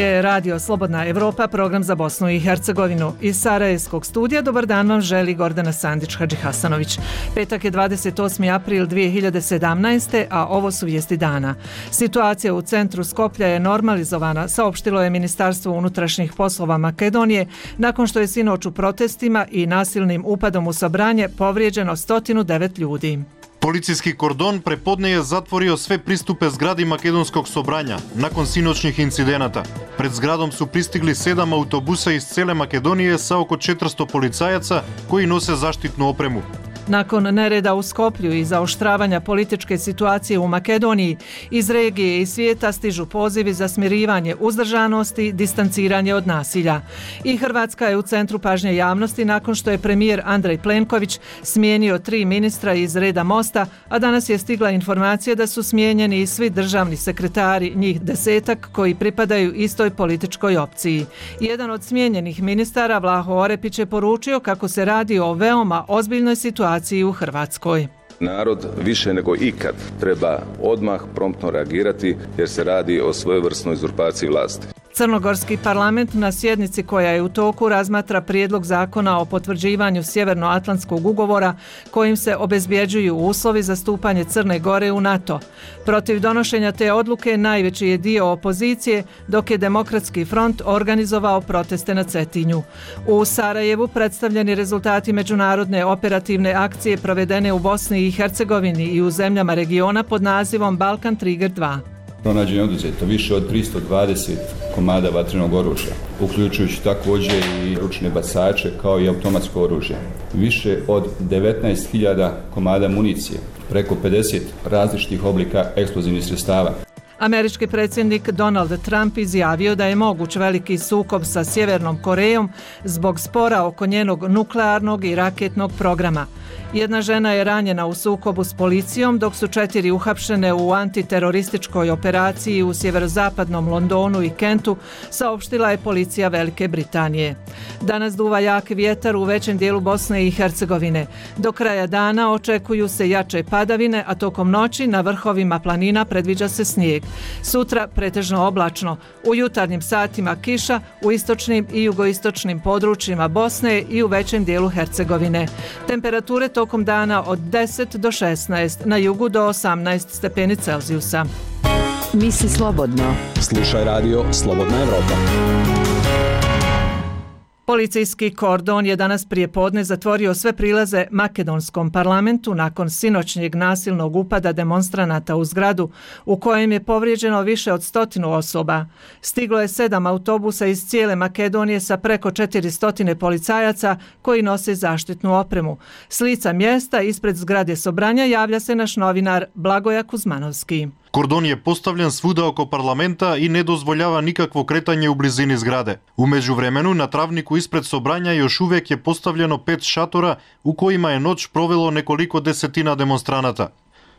je Radio Slobodna Evropa, program za Bosnu i Hercegovinu. Iz Sarajevskog studija dobar dan vam želi Gordana Sandić-Hadžihasanović. Petak je 28. april 2017. a ovo su vijesti dana. Situacija u centru Skoplja je normalizovana, saopštilo je Ministarstvo unutrašnjih poslova Makedonije, nakon što je sinoć u protestima i nasilnim upadom u Sobranje povrijeđeno 109 ljudi. Policijski kordon prepodne je zatvorio sve pristupe zgradi Makedonskog Sobranja nakon sinoćnih incidenata. Pred zgradom su pristigli 7 autobusa iz cele Makedonije sa oko 400 policajaca koji nose zaštitnu opremu. Nakon nereda u Skoplju i zaoštravanja političke situacije u Makedoniji, iz regije i svijeta stižu pozivi za smirivanje uzdržanosti, distanciranje od nasilja. I Hrvatska je u centru pažnje javnosti nakon što je premijer Andrej Plenković smijenio 3 ministra iz reda Mosta, a danas je stigla informacija da su smijenjeni i svi državni sekretari, njih 10 koji pripadaju istoj političkoj opciji. Jedan od smijenjenih ministara, Vlaho Orepić, je poručio kako se radi o veoma ozbiljnoj situaciji u Hrvatskoj. Narod više nego ikad treba odmah promptno reagirati jer se radi o svojevrsnoj uzurpaciji vlasti. Crnogorski parlament na sjednici koja je u toku razmatra prijedlog zakona o potvrđivanju Sjevernoatlantskog ugovora kojim se obezbjeđuju uslovi za stupanje Crne Gore u NATO. Protiv donošenja te odluke najveći je dio opozicije, dok je Demokratski front organizovao proteste na Cetinju. U Sarajevu predstavljeni rezultati međunarodne operativne akcije provedene u Bosni i Hercegovini i u zemljama regiona pod nazivom Balkan Trigger 2. Pronađeno je oduzeto više od 320 komada vatrenog oružja, uključujući također i ručne bacače kao i automatsko oružje. Više od 19.000 komada municije, preko 50 različitih oblika eksplozivnih sredstava. Američki predsjednik Donald Trump izjavio da je moguć veliki sukob sa Sjevernom Korejom zbog spora oko njenog nuklearnog i raketnog programa. Jedna žena je ranjena u sukobu s policijom, dok su 4 uhapšene u antiterorističkoj operaciji u sjeverozapadnom Londonu i Kentu, saopštila je policija Velike Britanije. Danas duva jak vjetar u većem dijelu Bosne i Hercegovine. Do kraja dana očekuju se jače padavine, a tokom noći na vrhovima planina predviđa se snijeg. Sutra pretežno oblačno, u jutarnjim satima kiša u istočnim i jugoistočnim područjima Bosne i u većem dijelu Hercegovine. Temperature tokom dana od 10 do 16, na jugu do 18 stepeni Celzijusa. Misli slobodno. Slušaj radio Slobodna Evropa. Policijski kordon je danas prijepodne zatvorio sve prilaze makedonskom parlamentu nakon sinoćnjeg nasilnog upada demonstranata u zgradu u kojem je povrijeđeno više od 100 osoba. Stiglo je 7 autobusa iz cijele Makedonije sa preko 400 policajaca koji nose zaštitnu opremu. S lica mjesta ispred zgrade Sobranja javlja se naš novinar Blagoja Kuzmanovski. Kordon je postavljen svuda oko parlamenta i ne dozvoljava nikakvo kretanje u blizini zgrade. U međuvremenu na travniku ispred Sobranja još uvijek je postavljeno 5 šatora u kojima je noć provelo nekoliko desetina demonstranata.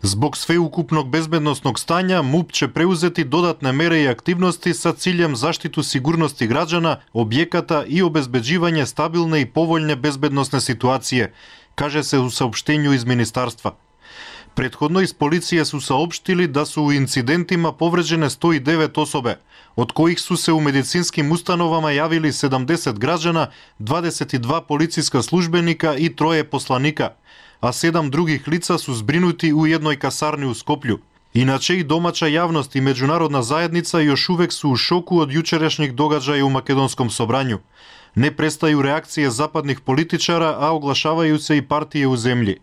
Zbog sveukupnog bezbednosnog stanja MUP će preuzeti dodatne mere i aktivnosti sa ciljem zaštitu sigurnosti građana, objekata i obezbeđivanje stabilne i povoljne bezbednosne situacije, kaže se u saopštenju iz ministarstva. Prethodno iz policije su saopštili da su u incidentima povređene 109 osobe, od kojih su se u medicinskim ustanovama javili 70 građana, 22 policijska službenika i 3 poslanika, a 7 drugih lica su zbrinuti u jednoj kasarni u Skoplju. Inače i domaća javnost i međunarodna zajednica još uvek su u šoku od jučerašnjih događaja u makedonskom Sobranju. Ne prestaju reakcije zapadnih političara, a oglašavaju se i partije u zemlji.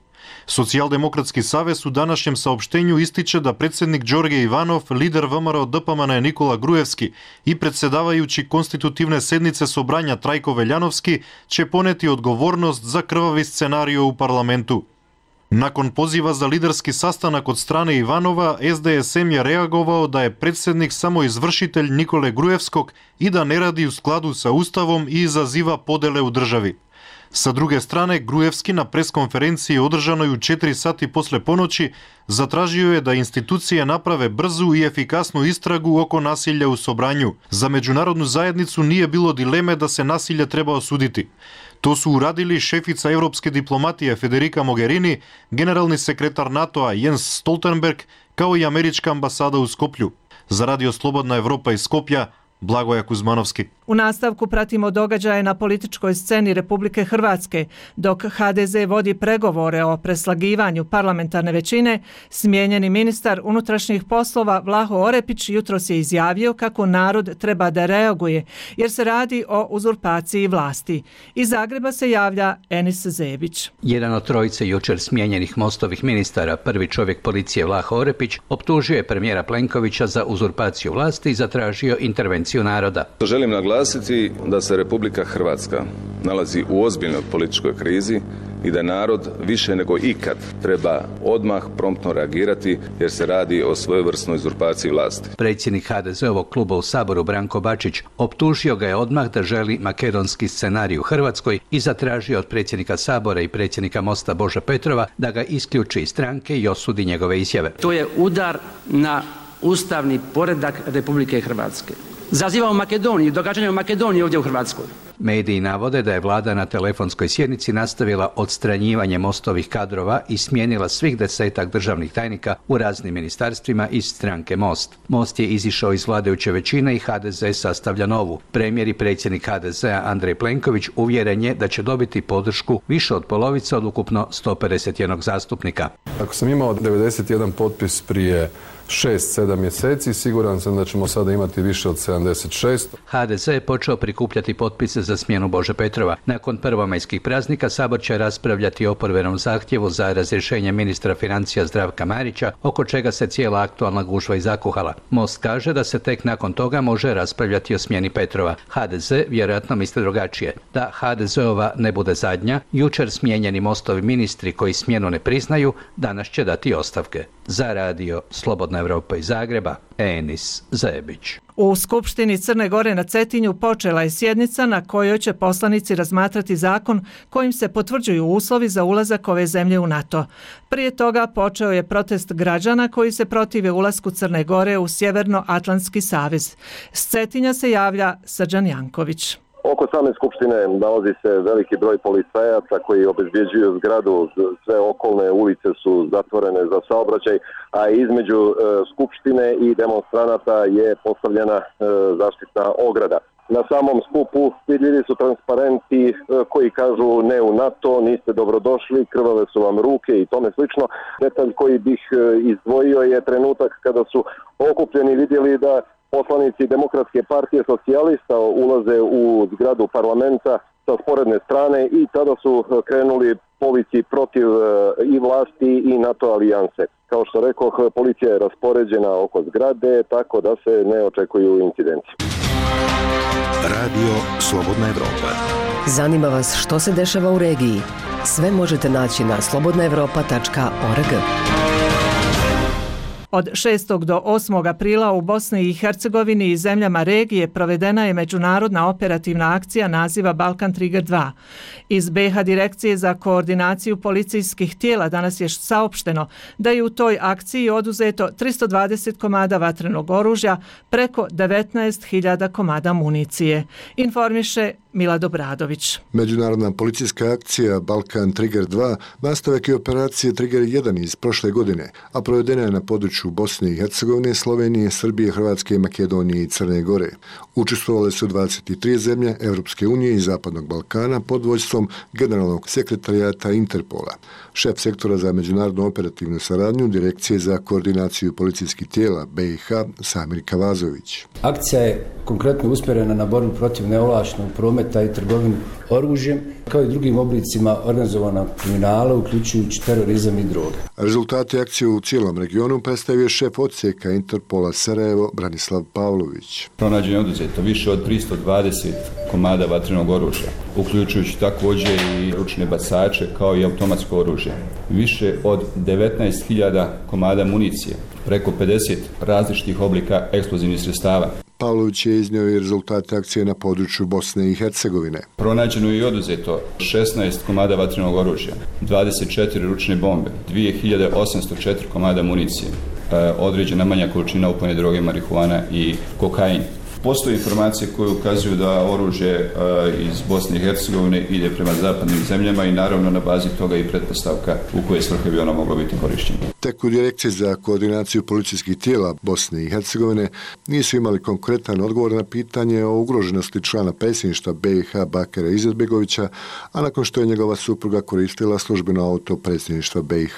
Socijaldemokratski savez u današnjem saopštenju ističe da predsjednik Đorđe Ivanov, lider VMRO DPMN Nikola Grujevski i predsjedavajući konstitutivne sednice Sobranja Trajko Veljanovski će poneti odgovornost za krvavi scenario u parlamentu. Nakon poziva za liderski sastanak od strane Ivanova, SDSM je reagovao da je predsjednik samo izvršitelj Nikole Grujevskog i da ne radi u skladu sa Ustavom i izaziva podele u državi. Sa druge strane, Grujevski na preskonferenciji održanoj u 4 sati posle ponoći zatražio je da institucije naprave brzu i efikasnu istragu oko nasilja u Sobranju. Za međunarodnu zajednicu nije bilo dileme da se nasilje treba osuditi. To su uradili šefica evropske diplomatije Federica Mogherini, generalni sekretar NATO-a Jens Stoltenberg, kao i američka ambasada u Skoplju. Za Radio Slobodna Evropa iz Skopja, Blagoja Kuzmanovski. U nastavku pratimo događaje na političkoj sceni Republike Hrvatske. Dok HDZ vodi pregovore o preslagivanju parlamentarne većine, smijenjeni ministar unutrašnjih poslova Vlaho Orepić jutros je izjavio kako narod treba da reaguje jer se radi o uzurpaciji vlasti. Iz Zagreba se javlja Enis Zebić. Jedan od trojice jučer smijenjenih Mostovih ministara, prvi čovjek policije Vlaho Orepić, optužio je premijera Plenkovića za uzurpaciju vlasti i zatražio intervenciju naroda. Želim naglasiti da se Republika Hrvatska nalazi u ozbiljnoj političkoj krizi i da narod više nego ikad treba odmah promptno reagirati jer se radi o svojevrsnoj uzurpaciji vlasti. Predsjednik HDZ-ovog kluba u Saboru Branko Bačić optužio ga je odmah da želi makedonski scenarij u Hrvatskoj i zatražio od predsjednika Sabora i predsjednika Mosta Bože Petrova da ga isključi iz stranke i osudi njegove izjave. To je udar na ustavni poredak Republike Hrvatske. Zaziva u Makedoniji, događanja u Makedoniji ovdje u Hrvatskoj. Mediji navode da je vlada na telefonskoj sjednici nastavila odstranjivanje Mostovih kadrova i smijenila svih 10 državnih tajnika u raznim ministarstvima iz stranke Most. Most je izišao iz vladajuće većine i HDZ sastavlja novu. Premijer i predsjednik HDZ-a Andrej Plenković uvjeren je da će dobiti podršku više od polovice od ukupno 151 zastupnika. Ako sam imao 91 potpis prije 6-7 mjeseci, siguran sam da ćemo sada imati više od 76. HDZ je počeo prikupljati potpise za smjenu Bože Petrova. Nakon prvomajskih praznika Sabor će raspravljati o oporbenom zahtjevu za razrješenje ministra financija Zdravka Marića, oko čega se cijela aktualna gužva i zakuhala. Most kaže da se tek nakon toga može raspravljati o smjeni Petrova. HDZ vjerojatno misli drugačije. Da HDZ-ova ne bude zadnja, jučer smijenjeni Mostovi ministri koji smjenu ne priznaju, danas će dati ostavke. Za radio Slobodna Evropa iz Zagreba, Enis Zebić. U Skupštini Crne Gore na Cetinju počela je sjednica na kojoj će poslanici razmatrati zakon kojim se potvrđuju uslovi za ulazak ove zemlje u NATO. Prije toga počeo je protest građana koji se protive ulasku Crne Gore u Sjevernoatlantski savez. S Cetinja se javlja Srđan Janković. Oko same skupštine nalazi se veliki broj policajaca koji obezbjeđuju zgradu, sve okolne ulice su zatvorene za saobraćaj, a između skupštine i demonstranata je postavljena zaštitna ograda. Na samom skupu vidljivi su transparenti koji kažu ne u NATO, niste dobrodošli, krvave su vam ruke i tome slično. Detalj koji bih izdvojio je trenutak kada su okupljeni vidjeli da poslanici Demokratske partije socijalista ulaze u zgradu parlamenta sa sporedne strane i tada su krenuli povici protiv i vlasti i NATO alijanse. Kao što rekoh, policija je raspoređena oko zgrade, tako da se ne očekuju incidenti. Radio Slobodna Evropa. Zanima vas što se dešava u regiji? Sve možete naći na slobodnaevropa.org. Od 6. do 8. aprila u Bosni i Hercegovini i zemljama regije provedena je međunarodna operativna akcija naziva Balkan Trigger 2. Iz BiH Direkcije za koordinaciju policijskih tijela danas je saopšteno da je u toj akciji oduzeto 320 komada vatrenog oružja, preko 19.000 komada municije. Informiše Milad Obradović. Međunarodna policijska akcija Balkan Trigger 2 nastavak je operacije Trigger 1 iz prošle godine, a provedena je na području Bosne i Hercegovine, Slovenije, Srbije, Hrvatske, Makedonije i Crne Gore. Učestvovale su 23 zemlje Europske unije i Zapadnog Balkana pod vodstvom generalnog sekretarijata Interpola. Šef sektora za međunarodnu operativnu saradnju Direkcije za koordinaciju policijskih tijela BiH Samir Kavazović. Akcija je konkretno usmjerena na borbu protiv neovlaštenog prometa i trgovinu oružjem, kao i drugim oblicima organizovanog kriminala, uključujući terorizam i droge. Rezultati akcije u cijelom regionu predstavio šef odsjeka Interpola Sarajevo Branislav Pavlović. Pronađeno je oduzeto više od 320 komada vatrenog oružja, uključujući također i ručne bacače kao i automatsko oružje. Više od 19.000 komada municije, preko 50 različitih oblika eksplozivnih sredstava. Pavlović je iznio i rezultate akcije na području Bosne i Hercegovine. Pronađeno je i oduzeto 16 komada vatrenog oružja, 24 ručne bombe, 2804 komada municije, određena manja količina opojne droge, marihuana i kokain. Postoje informacije koje ukazuju da oružje iz Bosne i Hercegovine ide prema zapadnim zemljama i naravno na bazi toga i pretpostavka u koje svrhe bi ono moglo biti korišćeno. Tek u Direkciji za koordinaciju policijskih tijela Bosne i Hercegovine nisu imali konkretan odgovor na pitanje o ugroženosti člana predsjedništva BiH Bakira Izetbegovića, a nakon što je njegova supruga koristila službeno auto predsjedništva BiH.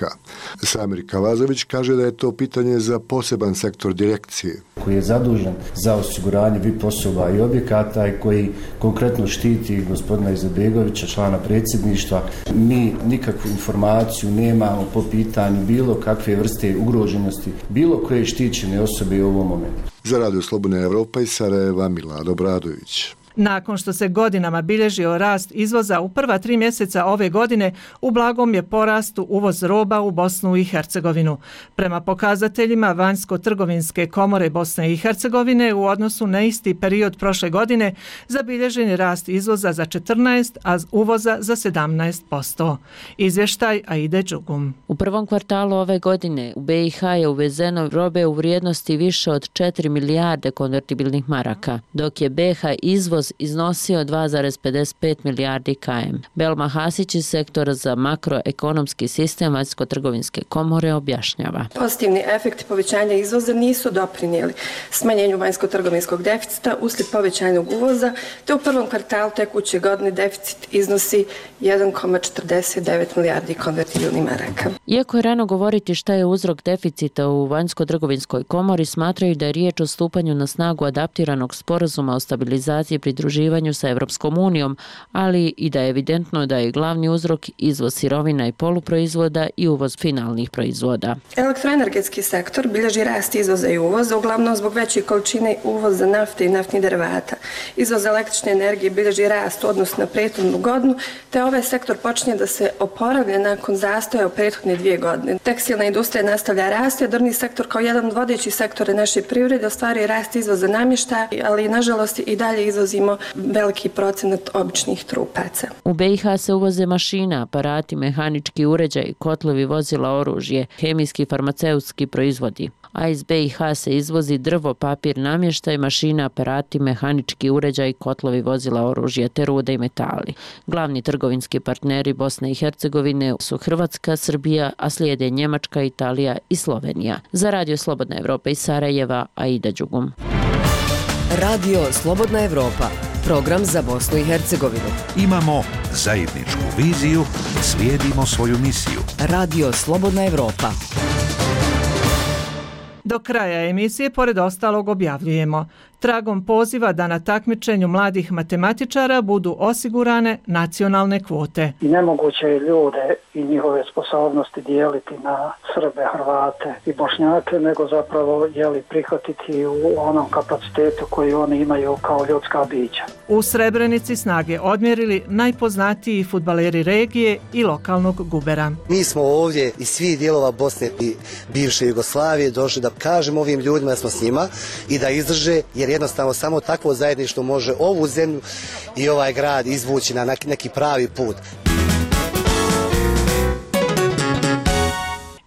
Samir Kavazović kaže da je to pitanje za poseban sektor direkcije. Koji je zadužen za osiguranje VIP osoba i objekata i koji konkretno štiti gospodina Izetbegovića, člana predsjedništva. Mi nikakvu informaciju nemamo po pitanju bilo kakve vrste ugroženosti, bilo koje štićene osobe u ovom momentu. Za Radio Slobodna Evropa iz Sarajeva, Milad Obradović. Nakon što se godinama bilježio rast izvoza u prva 3 mjeseca ove godine, u blagom je porastu uvoz roba u Bosnu i Hercegovinu. Prema pokazateljima Vanjsko-trgovinske komore Bosne i Hercegovine u odnosu na isti period prošle godine zabilježen je rast izvoza za 14, a uvoza za 17%. Izvještaj Aide Đugum. U prvom kvartalu ove godine u BiH je uvezeno robe u vrijednosti više od 4 milijarde konvertibilnih maraka, dok je BiH izvoz iznosio 2,55 milijardi km. Belma Hasić iz sektora za makroekonomski sistem Vanjsko-trgovinske komore objašnjava. Pozitivni efekti povećanja izvoza nisu doprinijeli smanjenju vanjsko-trgovinskog deficita uslijed povećanog uvoza, te u prvom kvartalu tekuće godine deficit iznosi 1,49 milijardi konvertibilnih maraka. Iako je rano govoriti šta je uzrok deficita u Vanjsko-trgovinskoj komori, smatraju da je riječ o stupanju na snagu adaptiranog sporazuma o stabilizaciji i pridruživanju sa Evropskom unijom, ali i da je evidentno da je glavni uzrok izvoz sirovina i poluproizvoda i uvoz finalnih proizvoda. Elektroenergetski sektor bilježi rast izvoza i uvoza, uglavnom zbog veće količine uvoza nafte i naftnih derivata. Izvoz električne energije bilježi rast u odnosu na prethodnu godinu, te ovaj sektor počinje da se oporavlja nakon zastoja u prethodne 2 godine. Tekstilna industrija nastavlja rasti, a drvni sektor kao jedan od vodećih sektora naše privrede ostvaruje rast izvoza namještaja, ali nažalost i dalje izvozimo veliki procenat običnih trupaca. U BiH se uvoze mašina, aparati, mehanički uređaj, kotlovi, vozila, oružje, hemijski i farmaceutski proizvodi. A iz BiH se izvozi drvo, papir, namještaj, mašina, aparati, mehanički uređaj, kotlovi, vozila, oružje, te rude i metali. Glavni trgovinski partneri Bosne i Hercegovine su Hrvatska, Srbija, a slijede Njemačka, Italija i Slovenija. Za Radio Slobodna Evropa iz Sarajeva, Aida Đugum. Radio Slobodna Evropa, program za Bosnu i Hercegovinu. Imamo zajedničku viziju, slijedimo svoju misiju. Radio Slobodna Evropa. Do kraja emisije, pored ostalog, objavljujemo: tragom poziva da na takmičenju mladih matematičara budu osigurane nacionalne kvote. Nemoguće je ljude i njihove sposobnosti dijeliti na Srbe, Hrvate i Bošnjake, nego zapravo prihvatiti u onom kapacitetu koji oni imaju kao ljudska bića. U Srebrenici snage odmjerili najpoznatiji fudbaleri regije i lokalnog gubera. Mi smo ovdje iz svih dijelova Bosne i bivše Jugoslavije došli da kažemo ovim ljudima da smo s njima i da izdrže, jer jednostavno samo takvo zajedništvo može ovu zemlju i ovaj grad izvući na neki pravi put.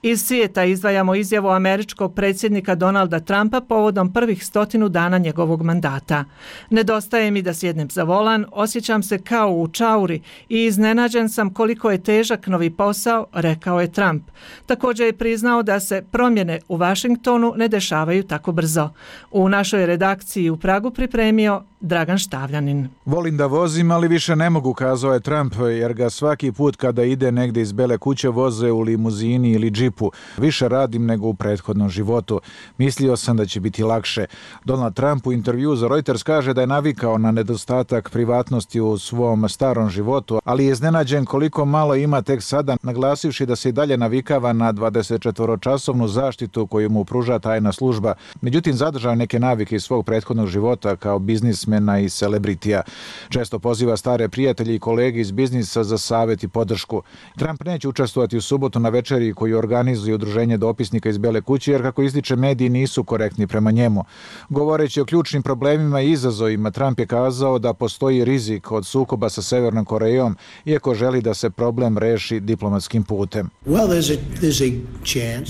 Iz svijeta izdvajamo izjavu američkog predsjednika Donalda Trumpa povodom prvih 100 dana njegovog mandata. Nedostaje mi da sjednem za volan, osjećam se kao u čauri i iznenađen sam koliko je težak novi posao, rekao je Trump. Također je priznao da se promjene u Washingtonu ne dešavaju tako brzo. U našoj redakciji u Pragu pripremio Dragan Štavljanin. Volim da vozim, ali više ne mogu, kazao je Trump, jer ga svaki put kada ide negdje iz Bele kuće voze u limuzini ili džipu. Više radim nego u prethodnom životu. Mislio sam da će biti lakše. Donald Trump u intervju za Reuters kaže da je navikao na nedostatak privatnosti u svom starom životu, ali je iznenađen koliko malo ima tek sada, naglasivši da se i dalje navikava na 24-časovnu zaštitu koju mu pruža tajna služba. Međutim, zadržao neke navike iz svog prethodnog života kao biznismena i celebritija. Često poziva stare prijatelje i kolege iz biznisa za savjet i podršku. Trump neće učestvovati u subotu na večeri koju organizuje organizuje udruženje dopisnika iz Bele kuće, jer kako ističe mediji nisu korektni prema njemu. Govoreći o ključnim problemima i izazovima, Trump je kazao da postoji rizik od sukoba sa Severnom Korejom, iako želi da se problem reši diplomatskim putem.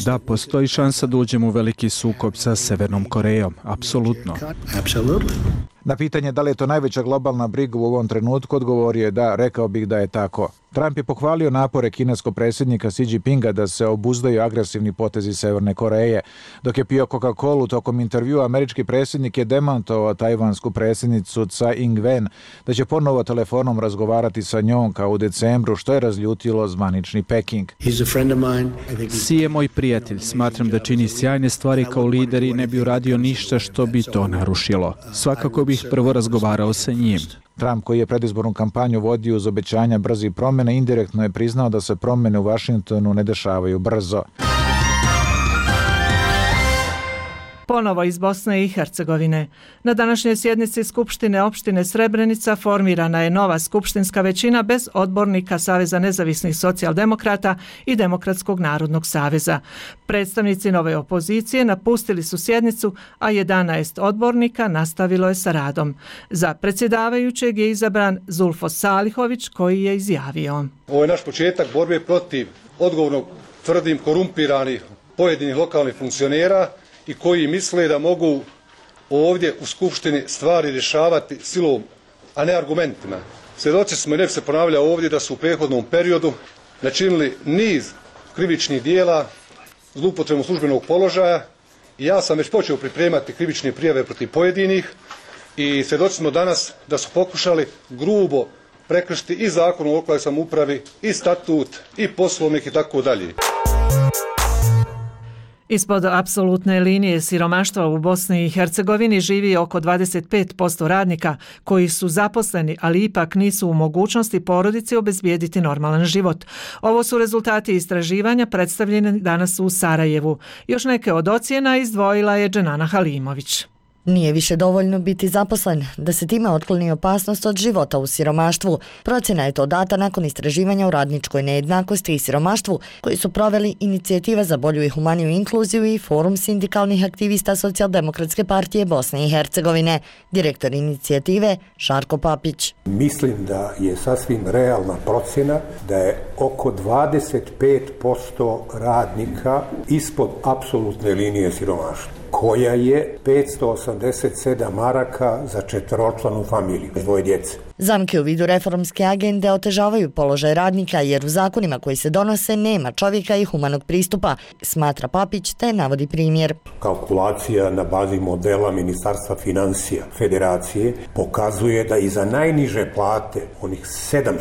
Da, postoji šansa da uđemo u veliki sukob sa Severnom Korejom, apsolutno. Na pitanje da li je to najveća globalna briga u ovom trenutku, odgovorio je da, rekao bih da je tako. Trump je pohvalio napore kineskog predsjednika Xi Jinpinga da se obuzdaju agresivni potezi Severne Koreje. Dok je pio Coca-Colu tokom intervjua, američki predsjednik je demantovao tajvansku predsjednicu Tsai Ing-wen da će ponovo telefonom razgovarati sa njom kao u decembru, što je razljutilo zvanični Peking. Xi je moj prijatelj, smatram da čini sjajne stvari kao lider i ne bi uradio ništa što bi to narušilo. Svakako bih prvo razgovarao sa njim. Trump, koji je predizbornu kampanju vodio uz obećanja brzih promjena, indirektno je priznao da se promjene u Vašingtonu ne dešavaju brzo. Ponovo iz Bosne i Hercegovine. Na današnjoj sjednici Skupštine opštine Srebrenica formirana je nova skupštinska većina bez odbornika Saveza nezavisnih socijaldemokrata i Demokratskog narodnog saveza. Predstavnici nove opozicije napustili su sjednicu, a 11 odbornika nastavilo je sa radom. Za predsjedavajućeg je izabran Zulfo Salihović, koji je izjavio: Ovo je naš početak borbe protiv odgovornog, tvrdim, korumpiranih pojedinih lokalnih funkcionera i koji misle da mogu ovdje u Skupštini stvari rješavati silom, a ne argumentima. Svjedoci smo, i ne bi se ponavljao ovdje, da su u prethodnom periodu načinili niz krivičnih dijela, zloupotrebom službenog položaja, i ja sam već počeo pripremati krivične prijave protiv pojedinih, i svjedoci smo danas da su pokušali grubo prekršiti i Zakon o lokalnoj samoupravi, i statut, i poslovnik i tako dalje. Ispod apsolutne linije siromaštva u Bosni i Hercegovini živi oko 25% radnika koji su zaposleni, ali ipak nisu u mogućnosti porodici obezbijediti normalan život. Ovo su rezultati istraživanja predstavljeni danas u Sarajevu. Još neke od ocjena izdvojila je Dženana Halimović. Nije više dovoljno biti zaposlen da se time otkloni opasnost od života u siromaštvu. Procjena je to data nakon istraživanja o radničkoj nejednakosti i siromaštvu koji su proveli Inicijativa za bolju i humaniju inkluziju i Forum sindikalnih aktivista Socijaldemokratske partije Bosne i Hercegovine. Direktor inicijative Žarko Papić. Mislim da je sasvim realna procjena da je oko 25% radnika ispod apsolutne linije siromaštva, koja je 587 maraka za četveročlanu familiju, dvoje djece. Zamke u vidu reformske agende otežavaju položaj radnika jer u zakonima koji se donose nema čovjeka i humanog pristupa, smatra Papić, te navodi primjer. Kalkulacija na bazi modela Ministarstva financija Federacije pokazuje da i za najniže plate, onih 700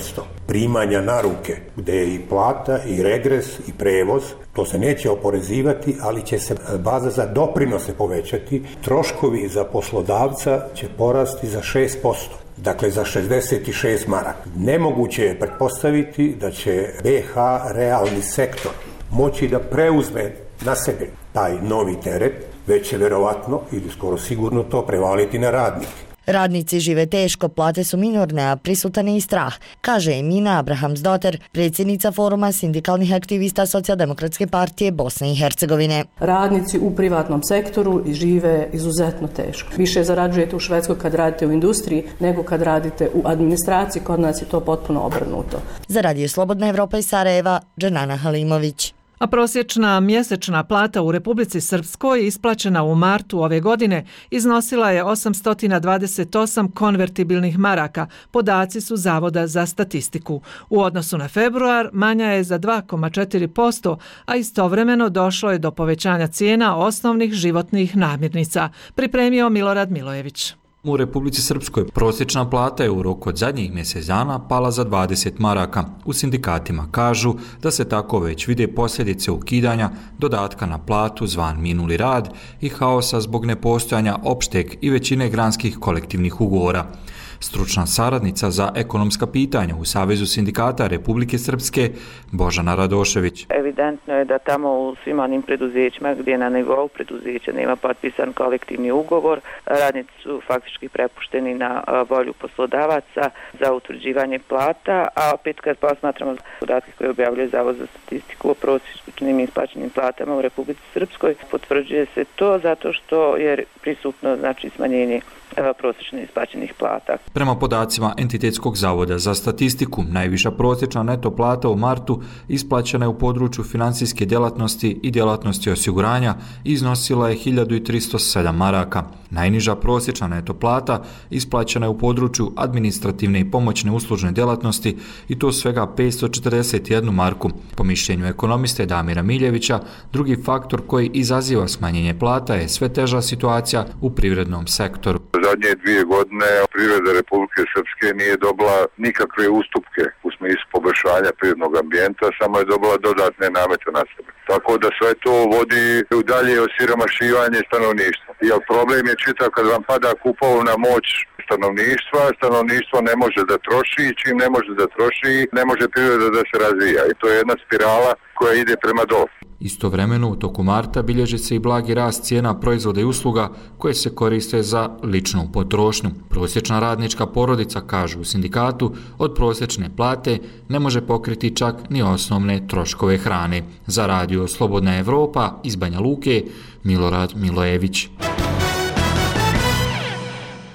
primanja na ruke, gdje je i plata, i regres, i prevoz, to se neće oporezivati, ali će se baza za doprinose povećati, troškovi za poslodavca će porasti za 6%. Dakle, za 66 maraka. Nemoguće je pretpostaviti da će BiH realni sektor moći da preuzme na sebe taj novi teret, već će verovatno ili skoro sigurno to prevaliti na radnike. Radnici žive teško, plate su minorne, a prisutan je i strah, kaže Emina Abrahamsdotter, predsjednica Foruma sindikalnih aktivista Socijaldemokratske partije Bosne i Hercegovine. Radnici u privatnom sektoru žive izuzetno teško. Više zarađujete u Švedskoj kad radite u industriji nego kad radite u administraciji, kod nas je to potpuno obrnuto. Za Radio Slobodna Evropa iz Sarajeva, Dženana Halimović. A prosječna mjesečna plata u Republici Srpskoj isplaćena u martu ove godine iznosila je 828 konvertibilnih maraka. Podaci su Zavoda za statistiku. U odnosu na februar manja je za 2,4%, a istovremeno došlo je do povećanja cijena osnovnih životnih namirnica, pripremio Milorad Milojević. U Republici Srpskoj prosječna plata je u roku od zadnjih mjesec dana pala za 20 maraka. U sindikatima kažu da se tako već vide posljedice ukidanja dodatka na platu zvan minuli rad i haosa zbog nepostojanja opšteg i većine granskih kolektivnih ugovora. Stručna saradnica za ekonomska pitanja u Savezu sindikata Republike Srpske Božana Radošević. Evidentno je da tamo u svim onim preduzećima gdje na nivou preduzeća nema potpisan kolektivni ugovor, radnici su faktički prepušteni na volju poslodavaca za utvrđivanje plata, a opet kad posmatramo podatke koje objavljuje Zavod za statistiku o prosječnim isplaćenim platama u Republici Srpskoj, potvrđuje se to zato što je prisutno smanjenje prosječno isplaćenih plata. Prema podacima Entitetskog zavoda za statistiku, najviša prosječna neto plata u martu isplaćena je u području financijske djelatnosti i djelatnosti osiguranja i iznosila je 1307 maraka. Najniža prosječna neto plata isplaćena je u području administrativne i pomoćne uslužne djelatnosti i to svega 541 marku. Po mišljenju ekonomiste Damira Miljevića, drugi faktor koji izaziva smanjenje plata je sve teža situacija u privrednom sektoru. Zadnje 2 godine privreda Republike Srpske nije dobila nikakve ustupke u smislu poboljšanja privrednog ambijenta, samo je dobila dodatne namete na sebe. Tako da sve to vodi u dalje osiromašivanje stanovništva. Jer problem je čitav kad vam pada kupovna moć stanovništvo ne može da troši i čim ne može da troši, ne može privreda da se razvija. I to je jedna spirala koja ide prema dolu. Istovremeno, u toku marta bilježi se i blagi rast cijena proizvoda i usluga koje se koriste za ličnu potrošnju. Prosječna radnička porodica, kažu u sindikatu, od prosječne plate ne može pokriti čak ni osnovne troškove hrane. Za radio Slobodna Evropa iz Banja Luke, Milorad Milojević.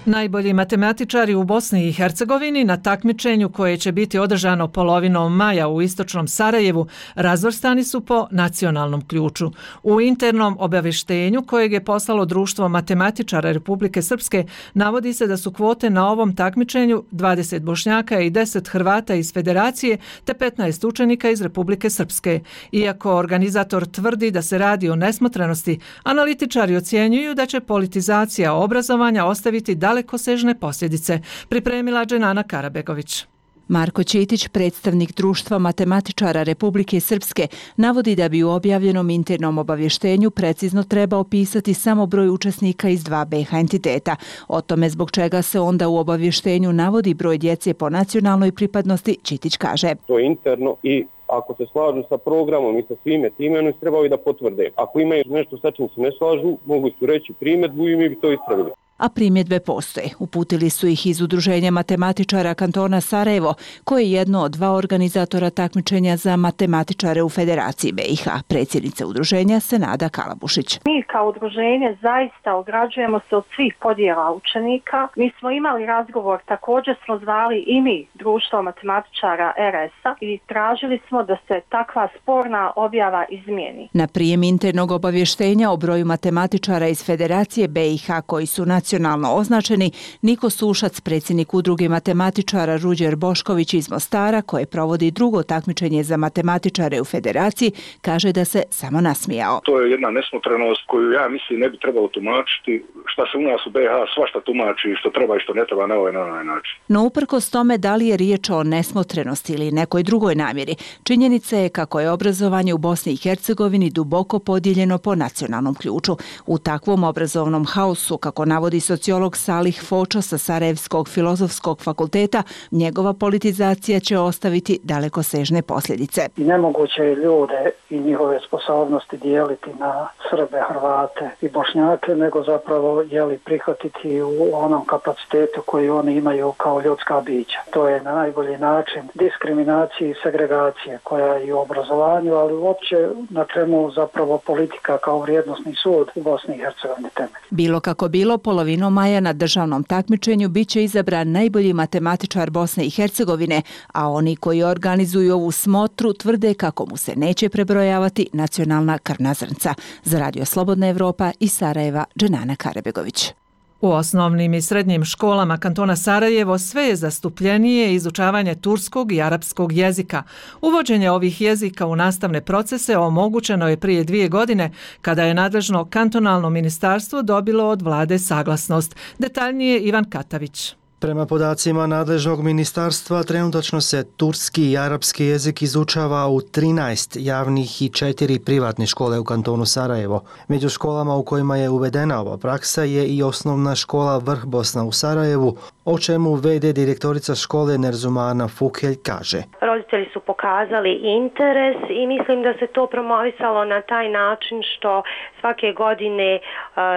Najbolji matematičari u Bosni i Hercegovini na takmičenju koje će biti održano polovinom maja u istočnom Sarajevu razvrstani su po nacionalnom ključu. U internom obavještenju kojeg je poslalo Društvo matematičara Republike Srpske navodi se da su kvote na ovom takmičenju 20 Bošnjaka i 10 Hrvata iz Federacije te 15 učenika iz Republike Srpske. Iako organizator tvrdi da se radi o nesmotrenosti, analitičari ocjenjuju da će politizacija obrazovanja ostaviti dalekosežne posljedice, pripremila Dženana Karabegović. Marko Ćitić, predstavnik Društva matematičara Republike Srpske, navodi da bi u objavljenom internom obavještenju precizno treba opisati samo broj učesnika iz 2 BiH entiteta. O tome zbog čega se onda u obavještenju navodi broj djece po nacionalnoj pripadnosti, Ćitić kaže. To je interno i ako se slažu sa programom i sa svime time, oni trebaju da potvrde. Ako imaju nešto sa čim se ne slažu, mogu su reći primjedbu i mi bi to ispravili. A primjedbe postoje. Uputili su ih iz Udruženja matematičara kantona Sarajevo, koje je jedno od 2 organizatora takmičenja za matematičare u Federaciji BiH. Predsjednica udruženja Senada Kalabušić. Mi kao udruženje zaista ograđujemo se od svih podjela učenika. Mi smo imali razgovor, također smo zvali i mi Društvo matematičara RS-a i tražili smo da se takva sporna objava izmijeni. Na prijem internog obavještenja o broju matematičara iz Federacije BiH koji su nacionalno označeni, Niko Sušac, predsjednik udruge matematičara Ruđer Bošković iz Mostara, koje provodi drugo takmičenje za matematičare u Federaciji, kaže da se samo nasmijao. To je jedna nesmotrenost koju ja mislim ne bi trebalo tumačiti. Šta se u nas u BiH svašta tumači, što treba i što ne treba na ovaj način. No uprkos tome da li je riječ o nesmotrenosti ili nekoj drugoj namjeri, činjenica je kako je obrazovanje u Bosni i Hercegovini duboko podijeljeno po nacionalnom ključu. U takvom obrazovnom haosu, kako navodi sociolog Salih Fočo sa Sarajevskog filozofskog fakulteta, njegova politizacija će ostaviti dalekosežne posljedice. Nemoguće je ljude i njihove sposobnosti dijeliti na Srbe, Hrvate i Bošnjake, nego zapravo prihvatiti u onom kapacitetu koji oni imaju kao ljudska bića. To je na najbolji način diskriminacije i segregacije koja je i u obrazovanju, ali uopće na čemu zapravo politika kao vrijednosni sud u Bosni i Hercegovini temelji. Bilo kako bilo, polovinom maja na državnom takmičenju biće izabran najbolji matematičar Bosne i Hercegovine, a oni koji organizuju ovu smotru tvrde kako mu se neće prebrojavati nacionalna krvna zrnca. Za Radio Slobodna Evropa iz Sarajeva, Dženana Karabegović. U osnovnim i srednjim školama kantona Sarajevo sve je zastupljenije izučavanje turskog i arapskog jezika. Uvođenje ovih jezika u nastavne procese omogućeno je prije 2 godine kada je nadležno kantonalno ministarstvo dobilo od vlade saglasnost. Detaljnije Ivan Katavić. Prema podacima nadležnog ministarstva, trenutačno se turski i arapski jezik izučava u 13 javnih i 4 privatne škole u kantonu Sarajevo. Među školama u kojima je uvedena ova praksa je i osnovna škola Vrh Bosna u Sarajevu, o čemu VD direktorica škole Nerzumana Fukhelj kaže. Roditelji su pokazali interes i mislim da se to promovisalo na taj način što svake godine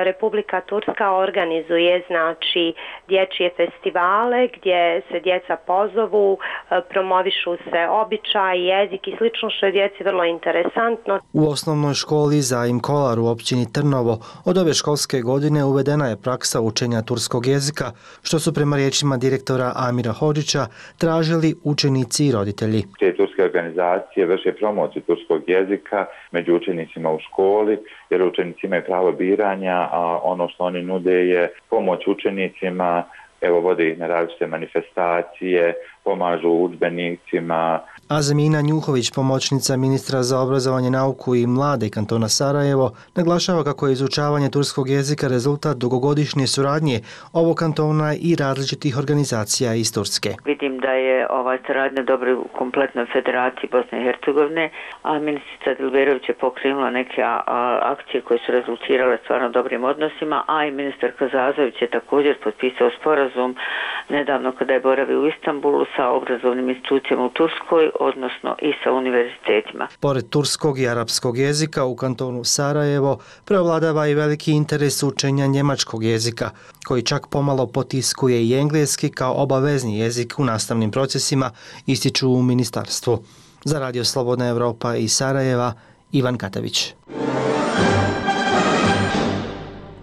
Republika Turska organizuje znači dječje festivale gdje se djeca pozovu, promovišu se običaj, jezik i slično što je djeci vrlo interesantno. U osnovnoj školi Zaim Kolar u općini Trnovo od ove školske godine uvedena je praksa učenja turskog jezika, što su prema riječima direktora Amira Hodžića tražili učenici i roditelji. Te turske organizacije vrše promociju turskog jezika među učenicima u školi, jer učenici imaju pravo biranja, a ono što oni nude je pomoć učenicima, evo vode ih na različite manifestacije, pomažu udžbenicima. Azmina Njuhović, pomoćnica ministra za obrazovanje, nauku i mlade kantona Sarajevo, naglašava kako je izučavanje turskog jezika rezultat dugogodišnje suradnje ovog kantona i različitih organizacija iz Turske. Vidim da je ova saradnja dobra u kompletnoj federaciji Bosne i Hercegovine, a ministrica Dilberović je pokrenula neke akcije koje su rezultirale stvarno dobrim odnosima, a i ministar Kazazović je također potpisao sporazum nedavno kada je boravio u Istanbulu sa obrazovnim institucijama u Turskoj, odnosno i sa univerzitetima. Pored turskog i arapskog jezika u kantonu Sarajevo preovladava i veliki interes učenja njemačkog jezika, koji čak pomalo potiskuje i engleski kao obavezni jezik u nastavnim procesima, ističu u ministarstvu. Za Radio Slobodna Evropa iz Sarajeva, Ivan Katavić.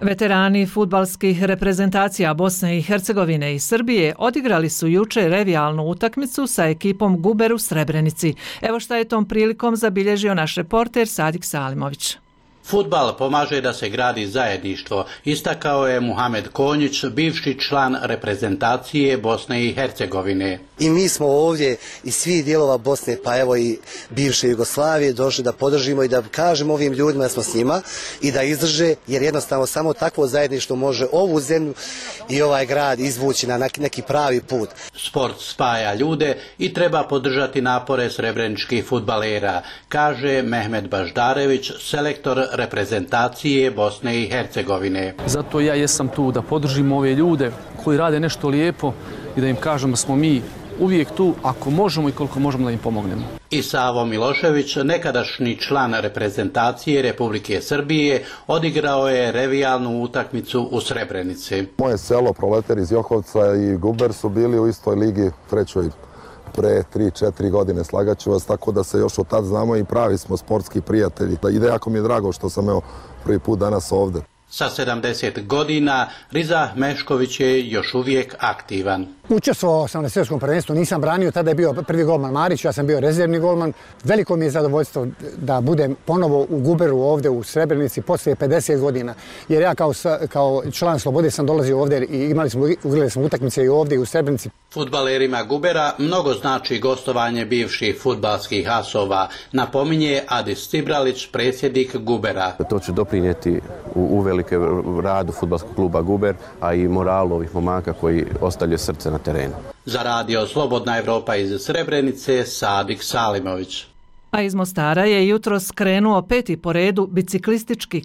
Veterani fudbalskih reprezentacija Bosne i Hercegovine i Srbije odigrali su juče revijalnu utakmicu sa ekipom Guber u Srebrenici. Evo šta je tom prilikom zabilježio naš reporter Sadik Salimović. Fudbal pomaže da se gradi zajedništvo, istakao je Muhamed Konjić, bivši član reprezentacije Bosne i Hercegovine. I mi smo ovdje iz svih dijelova Bosne, pa evo i bivše Jugoslavije, došli da podržimo i da kažemo ovim ljudima da smo s njima i da izdrže, jer jednostavno samo takvo zajedništvo može ovu zemlju i ovaj grad izvući na neki pravi put. Sport spaja ljude i treba podržati napore srebreničkih fudbalera, kaže Mehmet Baždarević, selektor reprezentacije Bosne i Hercegovine. Zato ja jesam tu da podržim ove ljude koji rade nešto lijepo i da im kažem da smo mi uvijek tu ako možemo i koliko možemo da im pomognemo. I Savo Milošević, nekadašnji član reprezentacije Republike Srbije, odigrao je revijalnu utakmicu u Srebrenici. Moje selo, Proleter iz Johovca i Guber su bili u istoj ligi, trećoj pre 3-4 godine, slagaću vas, tako da se još od tad znamo i pravi smo sportski prijatelji. I jako mi je drago što sam prvi put danas ovde. Sa 70 godina Riza Mešković je još uvijek aktivan. Učestvovao sam na svjetskom prvenstvu, nisam branio, tada je bio prvi golman Marić, ja sam bio rezervni golman. Veliko mi je zadovoljstvo da budem ponovo u Guberu ovdje u Srebrenici poslije 50 godina. Jer ja kao član Slobode sam dolazio ovdje i ugledali smo utakmice i ovdje i u Srebrenici. Fudbalerima Gubera mnogo znači gostovanje bivših fudbalskih asova, napominje Adis Cibralić, predsjednik Gubera. To će doprinijeti uvelike radu fudbalskog kluba Guber, a i moralu ovih momaka koji ostavljaju srce na terenu. Za Radio Slobodna Evropa iz Srebrenice, Sadik Salimović. A iz Mostara je jutros krenuo 5. po redu biciklistički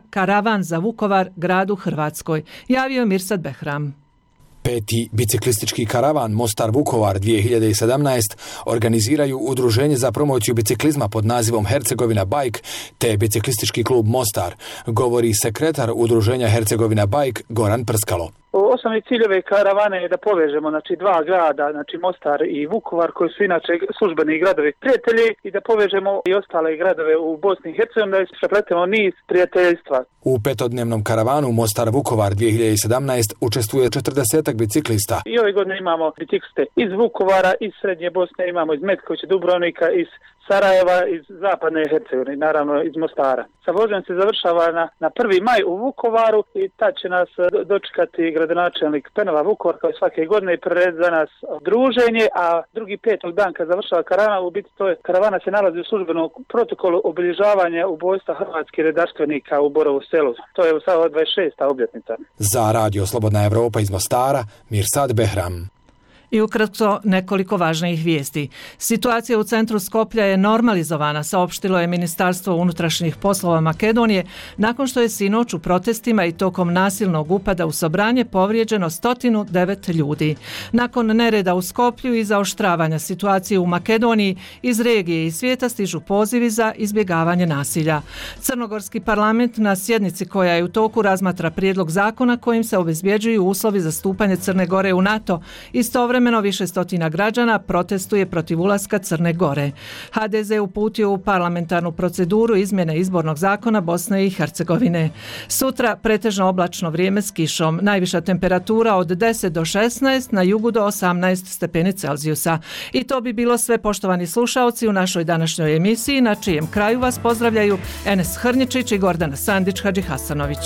karavan za Vukovar, gradu Hrvatskoj, javio Mirsad Behram. 5. biciklistički karavan Mostar-Vukovar 2017 organiziraju Udruženje za promociju biciklizma pod nazivom Hercegovina Bike te biciklistički klub Mostar, govori sekretar Udruženja Hercegovina Bike Goran Prskalo. Osnovni cilj ove karavane je da povežemo dva grada, Mostar i Vukovar, koji su inače službeni gradovi prijatelji, i da povežemo i ostale gradove u Bosni i Hercegovini, da zapletemo niz prijateljstva. U 5-dnevnom karavanu Mostar-Vukovar 2017 učestvuje 40 biciklista. I ove godine imamo bicikliste iz Vukovara, iz Srednje Bosne, imamo iz Metkovića, Dubrovnika, iz Sarajeva, iz Zapadne Hercegovine, naravno iz Mostara. Sa vožnjom se završava na 1. maj u Vukovaru i tad će nas dočekati gradonačelnik Penova Vukovar kao svake godine i prirediti za nas druženje, a drugi 5. dan kad završava karavana, u biti karavana se nalazi u službenom protokolu obilježavanja ubojstva hrvatskih redarstvenika u Borovu selu. To je sada 26. obljetnica. Za Radio Slobodna Evropa iz Mostara, Mirsad Behram. I ukratko nekoliko važnijih vijesti. Situacija u centru Skoplja je normalizovana, saopštilo je Ministarstvo unutrašnjih poslova Makedonije, nakon što je sinoć u protestima i tokom nasilnog upada u Sobranje povrijeđeno 109 ljudi. Nakon nereda u Skoplju i zaoštravanja situacije u Makedoniji, iz regije i svijeta stižu pozivi za izbjegavanje nasilja. Crnogorski parlament na sjednici koja je u toku razmatra prijedlog zakona kojim se obezbjeđuju uslovi za stupanje Crne Gore u NATO. Istovremeno više stotina građana protestuje protiv ulaska Crne Gore. HDZ uputio u parlamentarnu proceduru izmjene izbornog zakona Bosne i Hercegovine. Sutra pretežno oblačno vrijeme s kišom. Najviša temperatura od 10 do 16, na jugu do 18 stepeni Celzijusa. I to bi bilo sve, poštovani slušaoci, u našoj današnjoj emisiji, na čijem kraju vas pozdravljaju Enes Hrnjičić i Gordana Sandić Hadžihasanović.